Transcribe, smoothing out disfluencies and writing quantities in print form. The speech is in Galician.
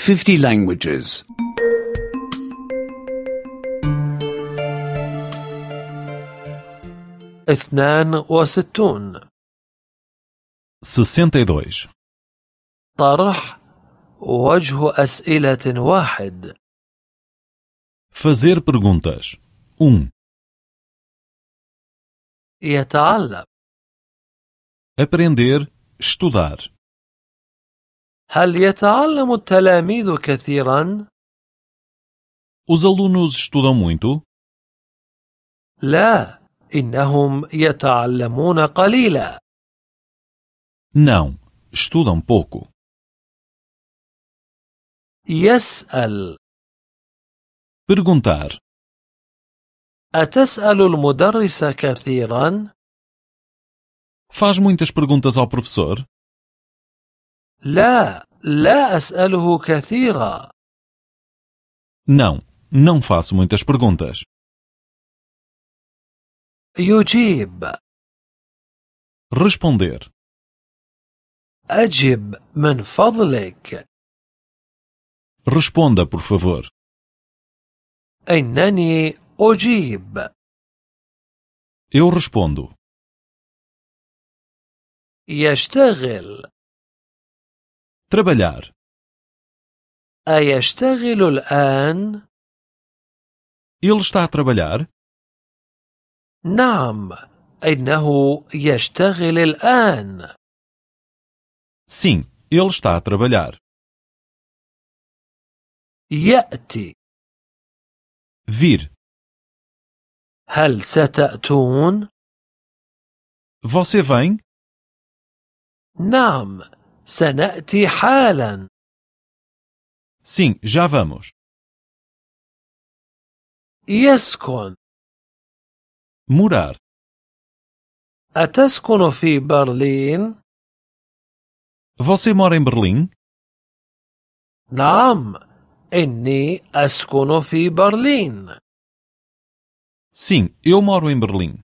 50 languages. 62. 62. طرح وجه أسئلة واحد. Fazer perguntas. 1. يتعلم. Aprender, estudar. هل يتعلم التلاميذ كثيرا؟ Os alunos estudam muito? لا، إنهم يتعلمون قليلا. Não, estudam pouco. يسأل. Perguntar. أتسأل المدرس كثيرا؟ Faz muitas perguntas ao professor? لا، لا أسأله كثيرا. Não, não faço muitas perguntas. يجيب. Responder. أجب من فضلك. Responda, por favor. إنني أجيب. Eu respondo. يشتغل. Trabalhar. أيشتغل الآن؟ Ele está a trabalhar? نعم، إنه يشتغل الآن. Sim, ele está a trabalhar. يأتي. Vir. هل ستأتون؟ Você vem? نعم، سنأتي حالا. Sim, já vamos. يسكن. Morar. أتسكن في برلين؟ Você mora em Berlim? نعم، إني أسكن في برلين. Sim, eu moro em Berlim.